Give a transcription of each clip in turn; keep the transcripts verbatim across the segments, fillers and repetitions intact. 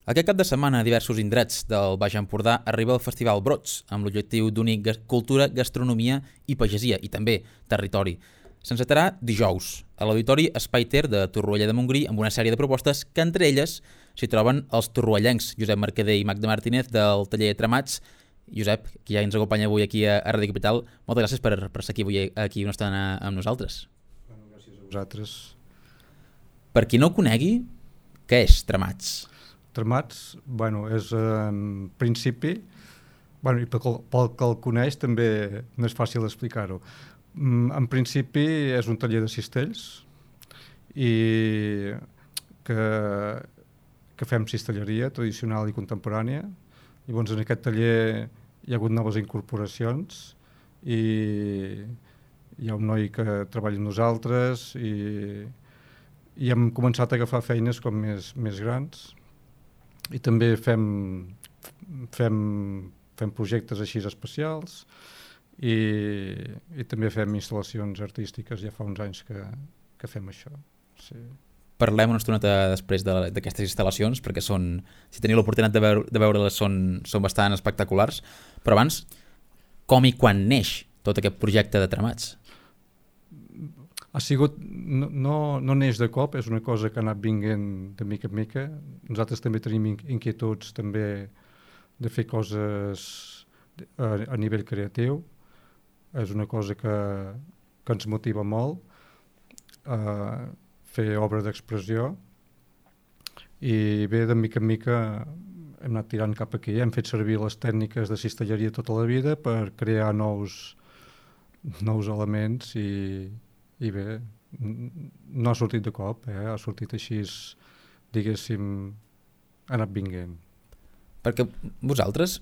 Aquest cap de setmana a diversos indrets del Baix Empordà arriba el Festival Brots, amb l'objectiu d'unir gas- cultura, gastronomia i pagesia, i també territori. S'encetarà dijous a l'Auditori Espai Ter de Torroella de Montgrí amb una sèrie de propostes que entre elles s'hi troben els torroellencs Josep Mercader i Magda Martínez del taller Tramats. Josep, que ja ens acompanya avui aquí a Ràdio Capital, moltes gràcies per, per ser aquí avui aquí una estona amb nosaltres. Bueno, gràcies a vosaltres. Per qui no ho conegui, què és Tramats? Tramats, bueno, és en principi, bueno, i pel, pel que el coneix també no és fàcil explicar-ho. En principi és un taller de cistells i que, que fem cistelleria tradicional i contemporània. Llavors en aquest taller hi ha hagut noves incorporacions i hi ha un noi que treballa amb nosaltres i, i hem començat a agafar feines com més, més grans. I també fem, fem, fem projectes així especials i, i també fem instal·lacions artístiques, ja fa uns anys que, que fem això. Sí. Parlem una estoneta després d'aquestes de, instal·lacions, perquè són, si teniu l'oportunitat de, veure, de veure-les són, són bastant espectaculars, però abans, com i quan neix tot aquest projecte de Tramats? Ha sigut, no, no, no neix de cop, és una cosa que ha anat vinguent de mica en mica. Nosaltres també tenim inquietuds també de fer coses a, a nivell creatiu. És una cosa que, que ens motiva molt, uh, fer obra d'expressió. I bé, de mica en mica hem anat tirant cap aquí. Hem fet servir les tècniques de cistelleria tota la vida per crear nous, nous elements i I bé, no ha sortit de cop, eh? Ha sortit així, diguéssim, ha anat vinguent. Perquè vosaltres,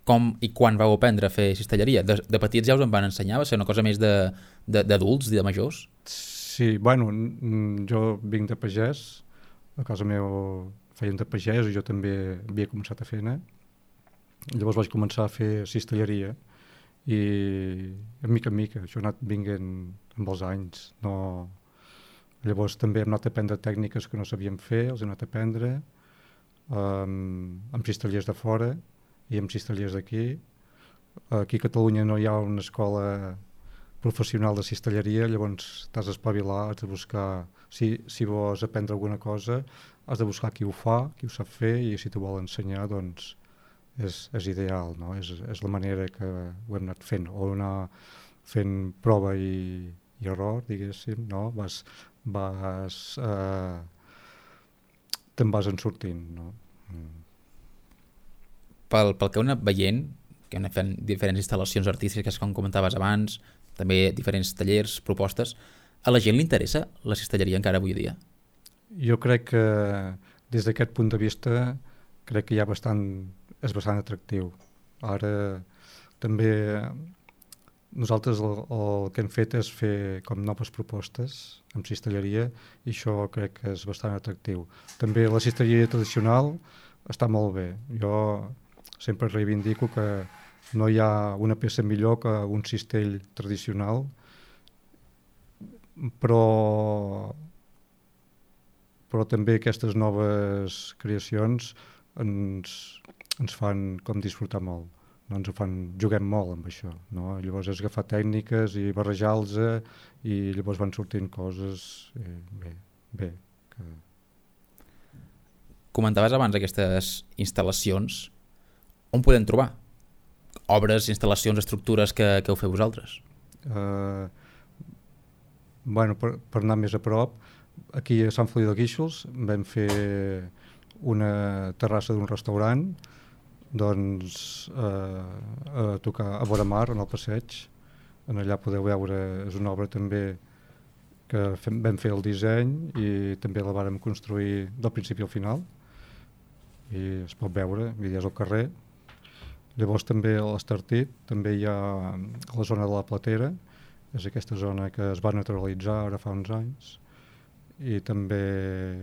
com i quan vau aprendre a fer cistelleria? De, de petits ja us en van ensenyar? Va ser una cosa més d'adults, de, de majors? Sí, bueno, jo vinc de pagès, a casa meva feien de pagès i jo també havia començat a fer-ne. Llavors vaig començar a fer cistelleria i de mica en mica, això ha anat vinguent amb els anys. No... Llavors també hem anat a aprendre tècniques que no sabíem fer, els hem anat a aprendre um, amb cistellers de fora i amb cistellers d'aquí. Aquí a Catalunya no hi ha una escola professional de cistelleria, llavors t'has d'espavilar, has de buscar, si, si vols aprendre alguna cosa, has de buscar qui ho fa, qui ho sap fer, i si t'ho vol ensenyar, doncs és, és ideal, no? És, és la manera que ho hem anat fent, o anar fent prova i, i error, diguéssim, no? Vas, vas, eh, te'n vas en sortint, no? Mm. Pel, pel que heu anat veient, que heu anat fent diferents instal·lacions artístiques, com comentaves abans, també diferents tallers, propostes, a la gent li interessa la cistelleria encara avui dia? Jo crec que des d'aquest punt de vista crec que hi ha bastant, és bastant atractiu. Ara també nosaltres el, el que hem fet és fer com noves propostes amb cistelleria i això crec que és bastant atractiu. També la cistelleria tradicional està molt bé. Jo sempre reivindico que no hi ha una peça millor que un cistell tradicional, però, però també aquestes noves creacions ens, ens fan com disfrutar molt. No ens ho fan, juguem molt amb això, no? Llavors és agafar tècniques i barrejar-los i llavors van sortint coses eh, bé, bé. Que... Comentaves abans aquestes instal·lacions, on podem trobar? Obres, instal·lacions, estructures que, que heu fet vosaltres? Uh, bueno, per, per anar més a prop, aquí a Sant Feliu de Guíxols vam fer una terrassa d'un restaurant, doncs eh, a tocar a vora mar, en el passeig. En allà podeu veure, és una obra també que fem, vam fer el disseny i també la vàrem construir del principi al final i es pot veure, i és al carrer. Llavors també a l'Estartit, també hi ha la zona de la Platera, és aquesta zona que es va naturalitzar ara fa uns anys, i també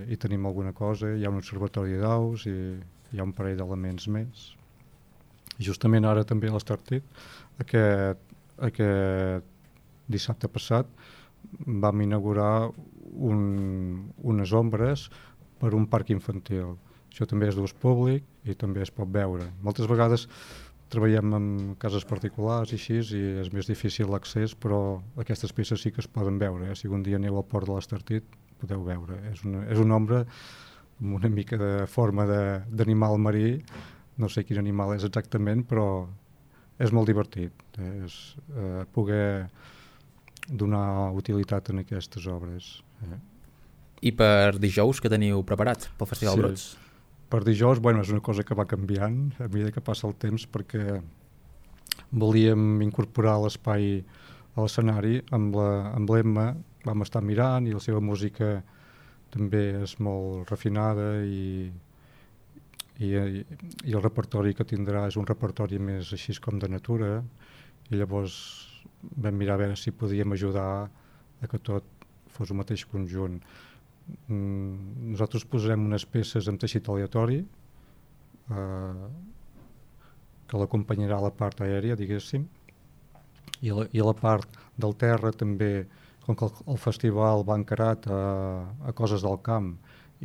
hi tenim alguna cosa, hi ha un observatori d'aus i hi ha un parell d'elements més. Justament ara també a l'Estartit, aquest, aquest dissabte passat vam inaugurar un, unes ombres per un parc infantil Això també és d'ús públic i també es pot veure. Moltes vegades treballem en cases particulars i així, i és més difícil l'accés, però aquestes peces sí que es poden veure. Eh? Si un dia aneu al port de l'Estartit, podeu veure. És una, és un ombra amb una mica de forma d'animal marí, no sé quin animal és exactament, però és molt divertit. Eh? És eh, poder donar utilitat en aquestes obres. Eh? I per dijous, què teniu preparat pel Festival Sí. Brots? Per dijous, bueno, és una cosa que va canviant a mesura que passa el temps, perquè volíem incorporar l'espai a l'escenari amb la- amb l'Emma, vam estar mirant i la seva música també és molt refinada i, i, i el repertori que tindrà és un repertori més així com de natura, i llavors vam mirar a veure si podíem ajudar a que tot fos un mateix conjunt. Mm, nosaltres posarem unes peces amb teixit aleatori eh, que l'acompanyarà a la part aèria, diguéssim, i a la, i a la part del terra també, com que el, el festival va encarat a, a coses del camp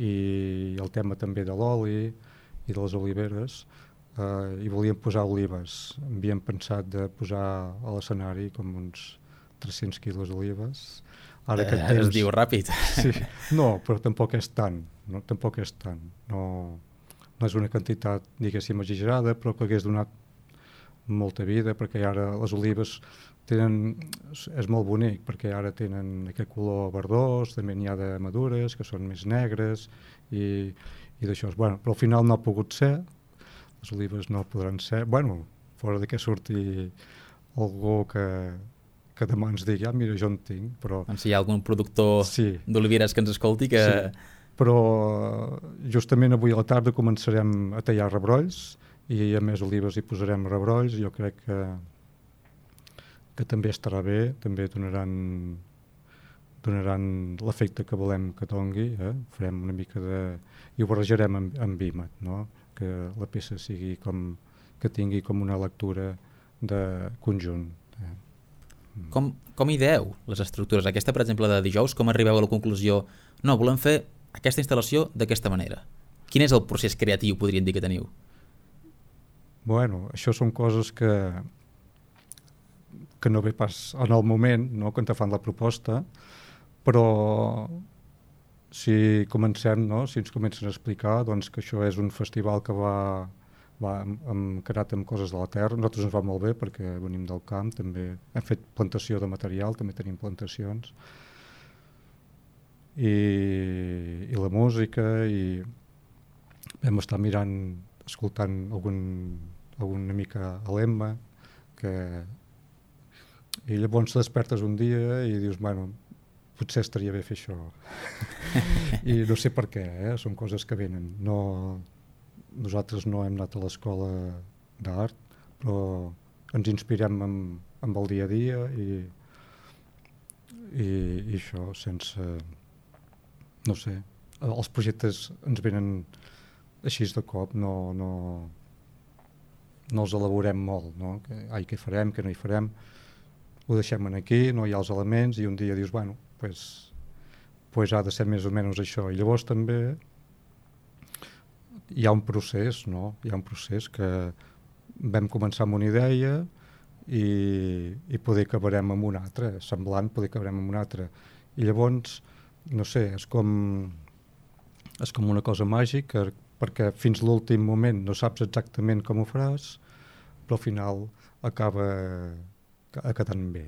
i el tema també de l'oli i de les oliveres, eh, i volíem posar olives. Havíem pensat de posar a l'escenari com uns tres-cents quilos d'olives. Ara Eh, aquest es temps... diu ràpid. Sí, no, però tampoc és tant, no, tampoc és tant. No, no és una quantitat, diguéssim, exagerada, però que hagués donat molta vida, perquè ara les olives tenen, és molt bonic, perquè ara tenen aquest color verdós, també n'hi ha de madures, que són més negres, i, i d'això. Bueno, però al final no ha pogut ser, les olives no podran ser, bueno, fora de que surti algú que que demà ens digui, ah, mira, jo en tinc, però... Doncs si hi ha algun productor sí. d'oliveres que ens escolti, que... Sí. Però justament avui a la tarda començarem a tallar rebrolls i a més olives hi posarem rebrolls. Jo crec que, que també estarà bé, també donaran, donaran l'efecte que volem que dongui. Eh? Farem una mica de... i ho barrejarem amb, amb vímet, no? Que la peça sigui com... que tingui com una lectura de conjunt. Eh? Com, com ideeu les estructures? Aquesta, per exemple, de dijous, com arribeu a la conclusió? No, volem fer aquesta instal·lació d'aquesta manera. Quin és el procés creatiu, podríem dir, que teniu? Bueno, això són coses que que no ve pas en el moment, no?, quan te fan la proposta, però si comencem, no?, si ens comencen a explicar, doncs, que això és un festival que va va encarat amb coses de la terra. Nosaltres ens va molt bé perquè venim del camp, també hem fet plantació de material, també tenim plantacions, i, i la música, i vam estar mirant, escoltant algun, alguna mica a l'Emma, que i llavors despertes un dia i dius, bueno, potser estaria bé fer això. I no sé per què, eh? Són coses que venen. No, nosaltres no hem anat a l'escola d'art, però ens inspirem amb, amb el dia a dia i, i, i això sense, no sé, els projectes ens venen així de cop, no, no, no els elaborem molt, no? Que, ai, què farem, què no hi farem, ho deixem aquí, no hi ha els elements, i un dia dius, bueno, pues, pues ha de ser més o menys això. I llavors també hi ha un procés, no? Hi ha un procés que vam començar amb una idea i, i poder acabarem amb una altra, semblant, poder acabarem amb una altra. I llavors, no sé, és com, és com una cosa màgica, perquè fins l'últim moment no saps exactament com ho faràs, però al final acaba quedant bé.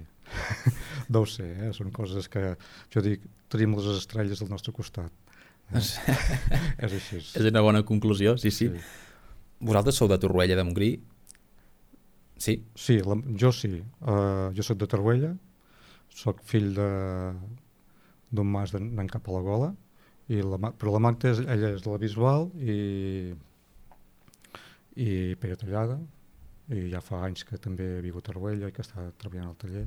No ho sé, eh? Són coses que, jo dic, tenim les estrelles al nostre costat. Eh? És així. És una bona conclusió, sí, sí. Sí. Vosaltres sou de Torroella de Montgrí? Sí? Sí, la, jo sí. Uh, jo sóc de Torroella, sóc fill d'un mas d'en Cap a la Gola, i la, però la Magda, és, ella és de la Bisbal i, i Pere Tallada, i ja fa anys que també viu a Torroella i que està treballant al taller,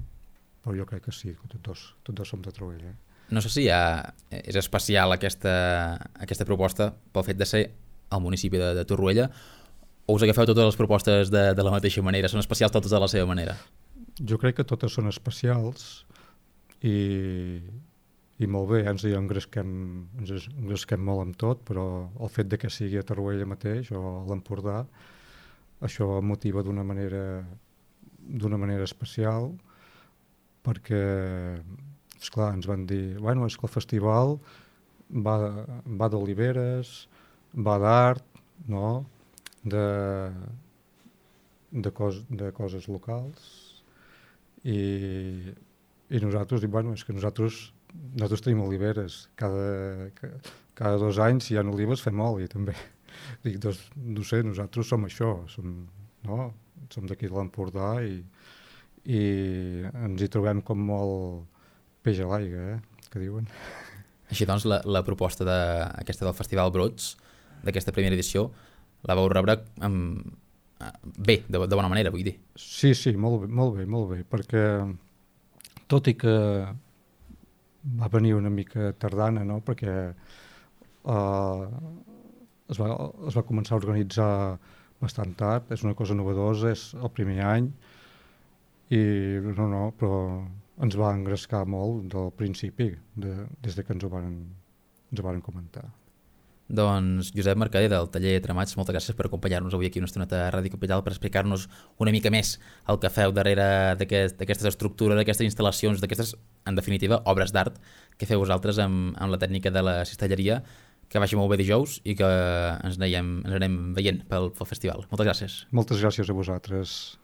però jo crec que sí, que tots dos, tots dos som de Torroella. No sé si ha, és especial aquesta, aquesta proposta pel fet de ser al municipi de, de Torroella, o us agafeu totes les propostes de, de la mateixa manera? Són especials totes de la seva manera? Jo crec que totes són especials i, i molt bé, ens hi engresquem, ens engresquem molt amb tot, però el fet de que sigui a Torroella mateix o a l'Empordà, això motiva d'una manera d'una manera especial, perquè, esclar, ens van dir, bueno, és que el festival va, va d'oliveres, va d'art, no?, de, de, cos, de coses locals, i, i nosaltres, i, bueno, és que nosaltres, nosaltres tenim oliveres, cada, cada dos anys, si hi ha olives, fem oli, també. Dic, doncs, no sé, nosaltres som això, som, no?, som d'aquí de l'Empordà i, i ens hi trobem com molt peix a l'aigua, eh, que diuen. Així doncs, la, la proposta de, aquesta del Festival Brots, d'aquesta primera edició, la vau rebre amb, bé, de, de bona manera, vull dir. Sí, sí, molt bé, molt bé, molt bé, perquè tot i que va venir una mica tardana, no?, perquè uh, es, va, es va començar a organitzar bastant tard, és una cosa novedosa, és el primer any, i no, no, però ens va engrescar molt del principi, de, des de que ens ho varen, ens ho varen comentar. Doncs Josep Mercader, del taller Tramats, moltes gràcies per acompanyar-nos avui aquí una estoneta a Ràdio Capital per explicar-nos una mica més el que feu darrere d'aquestes aquest, estructures, d'aquestes instal·lacions, d'aquestes, en definitiva, obres d'art que feu vosaltres amb, amb la tècnica de la cistelleria. Que vagi molt bé dijous i que ens anem, ens anem veient pel, pel festival. Moltes gràcies. Moltes gràcies a vosaltres.